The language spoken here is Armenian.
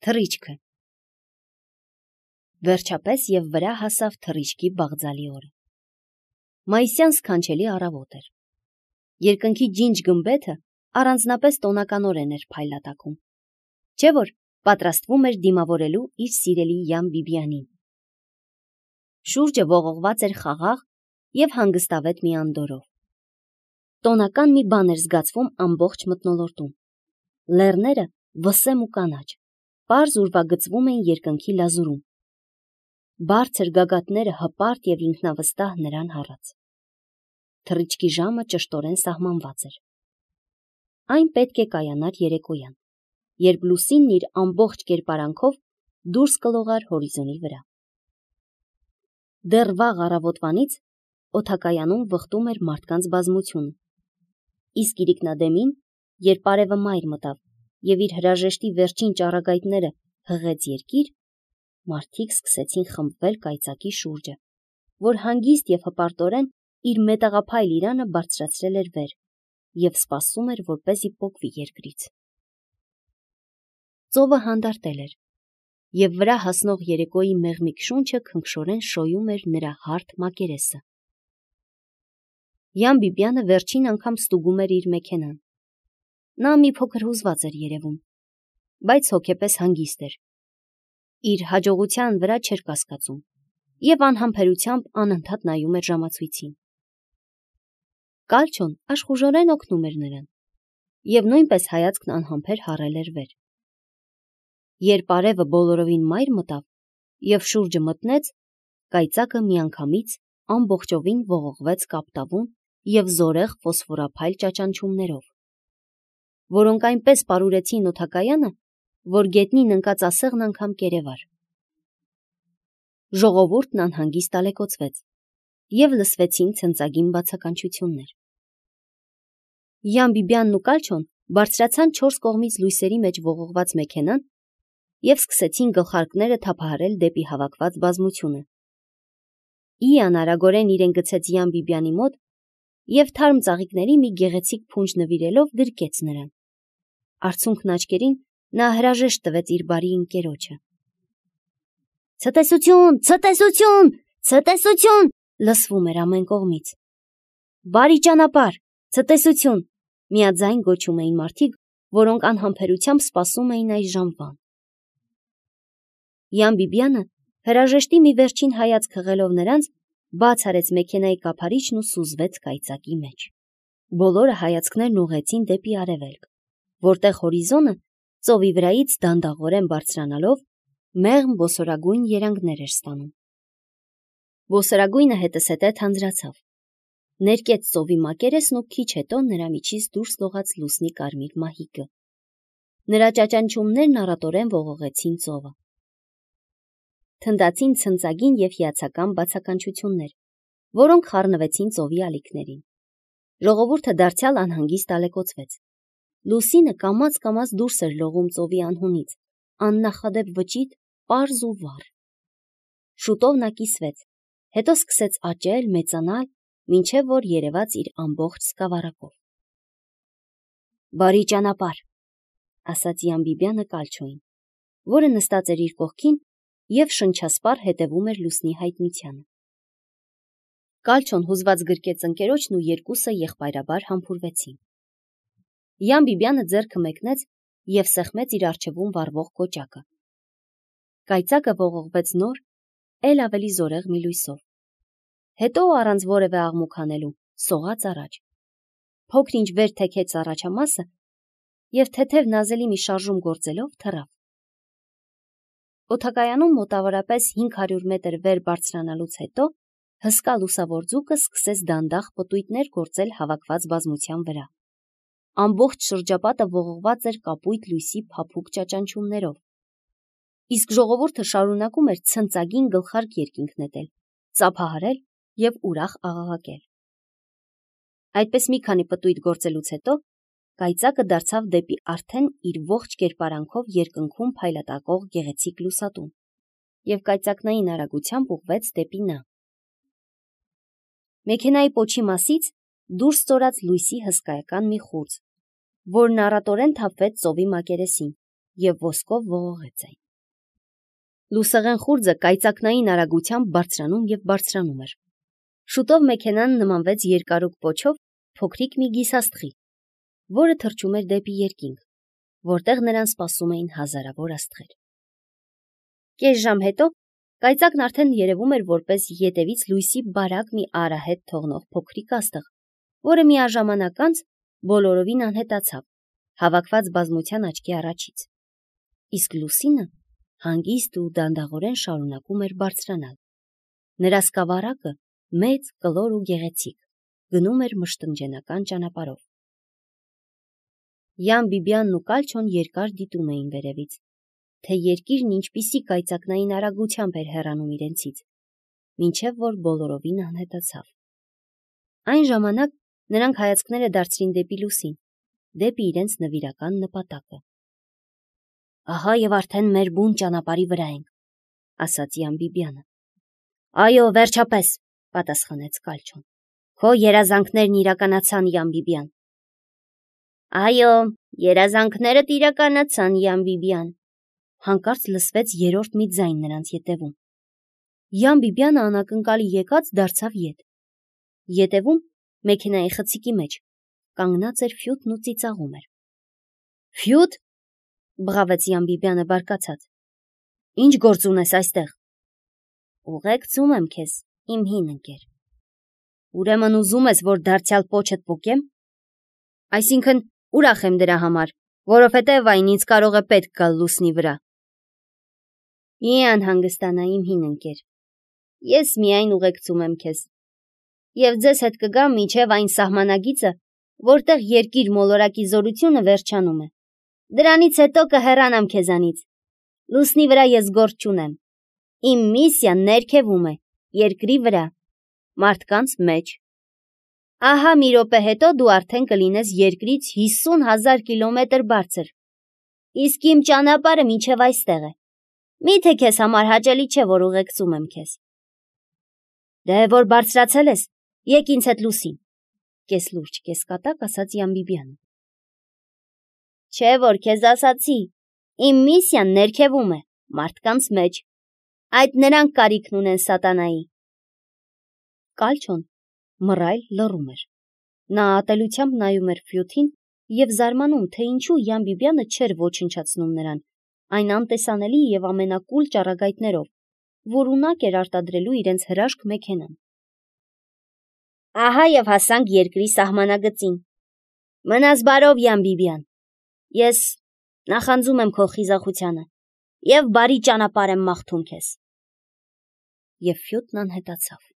Թռիչքը։ Վերջապես եւ վրա հասավ թռիչքի բաղձալի օրը։ Մայիսյան սքանչելի առավոտ էր։ Երկնքի ջինջ գմբեթը առանձնապես տոնականորեն էր փայլատակում, չէ՞ որ պատրաստվում էր դիմավորելու իր սիրելի Յան Բիբիանին։ Շուրջը ողողված էր խաղաղ եւ հանգստավետ մի անդորով։ Տոնական մի բան էր զգացվում ամբողջ մթնոլորտում։ Լեռները վսեմ ու կանաչ, պարզ ուրվագծվում էին երկնքի լազուրում։ Բարձր գագաթները հպարտ եւ ինքնավստահ նրան հառած։ Թռիչքի ժամը ճշտորեն սահմանված էր։ Այն պետք է կայանար երեկոյան, երբ լուսինն իր ամբողջ կերպարանքով դուրս կլողար հորիզոնի վրա։ Դեռ վաղ առավոտվանից օդակայանում վխտում էր մարդկանց բազմությունը, իսկ իրիկնադեմին, երբ արևը մայր մտավ եւ իր հրաժեշտի վերջին ճառագայթները հղեց երկիր, մարդիկ սկսեցին խմբվել կայծակի շուրջը, որ հանգիստ եւ հպարտորեն իր մետաղափայլ իրանը բարձրացրել էր վեր եւ սպասում էր, որպեսզի պոկվի երկրից։ Ծովը հանդարտել էր, եւ վրա հասնող երեկոյի մեղմիկ շունչը քնքշորեն շոյում էր նրա հարթ մակերեսը։ Յան Բիբյանը վերջին անգամ ստուգում էր իր մեքենան։ Նա մի փոքր հուզված էր երևում, բայց հոգեպես հանգիստ էր։ Իր հաջողության վրա չէր կասկածում եւ անհամբերությամբ անընդհատ նայում էր ժամացույցին։ Կալչոն աշխուժորեն օգնում էր նրան եւ նույնպես հայացքն անհամբեր հառել էր վեր։ Երբ արևը բոլորովին մայր մտավ եւ շուրջը մտնեց, կայծակը միանգամից ամբողջովին ողողվեց կապտավուն եւ զորեղ ֆոսֆորափայլ ճաճանչումներով, որոնք այնպես պարուրեցին օդակայանը, որ գետնին ընկած ասեղն անգամ կերևար։ Ժողովուրդն անհանգիստ ալեկոծվեց եւ լսվեցին ցնծագին բացականչություններ։ Յան Բիբյանն ու Կալչոն բարձրացան 4 կողմից լույսերի մեջ ողողված մեքենան եւ սկսեցին գլխարկները թափահարել դեպի հավաքված բազմությունը։ Իան արագորեն իրեն գցեց Յան Բիբյանի մոտ եւ թարմ ծաղիկների մի գեղեցիկ փունջ նվիրելով գրկեց նրան։ Արցունքն աչքերին նա հրաժեշտ տվեց իր բարի ընկերոջը։ Ցտեսություն, ցտեսություն, ցտեսություն, լսվում էր ամեն կողմից։ Բարի ճանապարհ, ցտեսություն, միաձայն գոչում էին մարդիկ, որոնք անհամբերությամբ սպասում էին այս ժամվան։ Յան Բիբյանը հրաժեշտի մի վերջին հայացք հղելով նրանց, բաց արեց մեքենայի կափարիչն ու սուզվեց կայծակի մեջ։ Բոլորը հայացքներն ուղղեցին դեպի արևելք, որտեղ հորիզոնը ծովի վրայից դանդաղորեն բարձրանալով մեղմ ոսորագույն երանգներ էր ստանում։ Ոսորագույնը հետզհետե թանձրացավ, ներկեց ծովի մակերեսն ու քիչ հետո նրա միջից դուրս լողաց լուսնի կարմիր մահիկը։ Նրա ճաճանչումներն առատորեն ողողեցին ծովը։ Թնդացին ցնծագին եւ հիացական բացականչություններ, որոնք խառնվեցին ծովի ալիքներին։ Ժողովուրդը դարձյալ անհանգիստ ալեկոծվեց։ Լուսինը կամաց դուրս էր լողում ծովի անհունից, աննախադեպ վճիտ, պարզ ու վառ։ Շուտով նա կիսվեց, հետո սկսեց աճել, մեծանալ, մինչև որ երևաց իր ամբողջ սկավառակով։ Բարի ճանապարհ, ասաց Յան Բիբյանը Կալչոին, որը նստած էր իր կողքին եւ շնչասպառ հետևում էր լուսնի հայտնությանը։ Կալչոն հուզված գրկեց ընկերոջն ու երկուսը եղբայրաբար համբուրվեցին։ Յան Բիբյանը ձեռքը մեկնեց եւ սեղմեց իր առջևում վառվող կոճակը։ Կայծակը ողողվեց նոր, ել ավելի զորեղ մի լույսով։ Հետո առանց որևէ աղմուկ անելու սողաց առաջ։ Փոքր-ինչ վեր թեքեց առաջամասը եւ թեթև նազելի մի շարժում գործելով թռավ։ Օդակայանում մոտավորապես 500 մետր վեր բարձրանալուց հետո հսկա լուսավոր ձուկը սկսեց դանդաղ պտույտներ գործել հավաքված բազմության վրա։ Ամբողջ շրջապատը ողողված էր կապույտ լույսի փափուկ ճաճանչումներով։ Իսկ ժողովուրդը շարունակում էր ցնծագին գլխարկ երկինք նետել, ծափահարել եւ ուրախ աղաղակել։ Այդպես մի քանի պտույտ գործելուց հետո կայծակը դարձավ դեպի արդեն իր ողջ կերպարանքով երկնքում փայլատակող գեղեցիկ լուսատուն եւ կայծակնային արագությամբ ուղղվեց դեպի նա։ Մեքենայի պոչի մասից դուրս ծորաց լույսի հսկայական մի խուրձ, որն առատորեն թափվեց ծովի մակերեսին և ոսկով ողողեց այն։ Լուսեղեն խուրձը կայծակնային արագությամբ բարձրանում և բարձրանում էր։ Շուտով մեքենան նմանվեց երկարուկ պոչով փոքրիկ մի գիսաստղի, որը թռչում էր դեպի երկինք, որտեղ նրան սպասում էին հազարավոր աստղեր։ Կես ժամ հետո կայծակն արդեն երևում էր որպես ետևից լույսի բարակ մի արահետ թողնող փոքրիկ աստղ, որը միաժամանակ անց բոլորովին անհետացավ, հավաքված բազմության աչքի առաջից։ Իսկ լուսինը հանգիստ ու դանդաղորեն շարունակում էր բարձրանալ։ Նրա սկավառակը մեծ, կլոր ու գեղեցիկ գնում էր մշտնջենական ճանապարհով։ Յան Բիբիանն ու Կալչոն երկար դիտում էին վերևից, թե երկիրն ինչպիսի կայծակնային արագությամբ էր հեռանում իրենցից, մինչև որ բոլորովին անհետացավ։ Այն ժամանակ նրանք հայացքները դարձրին դեպի լուսին, դեպի իրենց նվիրական նպատակը։ Ահա եւ արդեն մեր բուն ճանապարհի վրա ենք, ասաց Յան Բիբիանը։ Այո, վերջապես, պատասխանեց Կալչոն։ Քո երազանքներն իրականացան, Յան Բիբիան։ Այո, երազանքներդ իրականացան, Յան Բիբիան։ Հանկարծ լսվեց երրորդ մի ձայն նրանց ետևում։ Յան Բիբիանը անակնկալի եկած դարձավ ետ։ Ետևում, մեքենայի խցիկի մեջ, կանգնած էր Ֆյութն ու ծիծաղում էր։ Ֆյութ, բղավեց Յան Բիբիանը բարկացած։ Ինչ գործ ունես այստեղ։ Ուղեկցում եմ քեզ, իմ հին ընկեր։ Ուրեմն ուզում ես, որ դարձյալ պոչդ պոկեմ։ Այսինքն ուրախ եմ դրա համար, որովհետև այն ինձ կարող է պետք գալ լուսնի վրա։ Մի անհանգստանա, իմ հին ընկեր։ Ես միայն ուղեկցում եմ քեզ։ Եվ ձեզ հետ կգամ մինչև այն սահմանագիծը, որտեղ երկիր մոլորակի զորությունը վերջանում է։ Դրանից հետո կհեռանամ քեզանից։ Լուսնի վրա ես գործ չունեմ։ Իմ միսիան ներքևում է, երկրի վրա, մարդկանց մեջ։ Ահա մի րոպե հետո դու արդեն կլինես երկրից 50,000 կիլոմետր բարձր։ Իսկ իմ ճանապարհը մինչև այստեղ է։ Միթե քեզ համար հաճելի չէ, որ ուղեկցում եմ քեզ։ Դե որ բարձրացել ես, եկ ինձ հետ լուսին, կես լուրջ, կես կատակ ասաց Յան Բիբիանը։ Չէ որ քեզ ասացի, իմ միսիան ներքևում է, մարդկանց մեջ։ Այդ նրանք կարիքն ունեն սատանայի։ Կալչոն մռայլ լռում էր։ Նա ատելությամբ նայում էր Ֆյութին և զարմանում, թե ինչու Յան Բիբիանը չէր ոչնչացնում նրան, այն անտեսանելի և ամենակուլ ճառագայթներով, որ ունակ էր արտադրելու իրենց հրաշք մեքենան։ Ահա և հասանք երկրի սահմանագծին։ Մնաս բարով, Յան Բիբիան։ Ես նախանձում եմ քո խիզախությանը և բարի ճանապարհ եմ մաղթում քեզ։ Եվ Ֆյութն անհետացավ։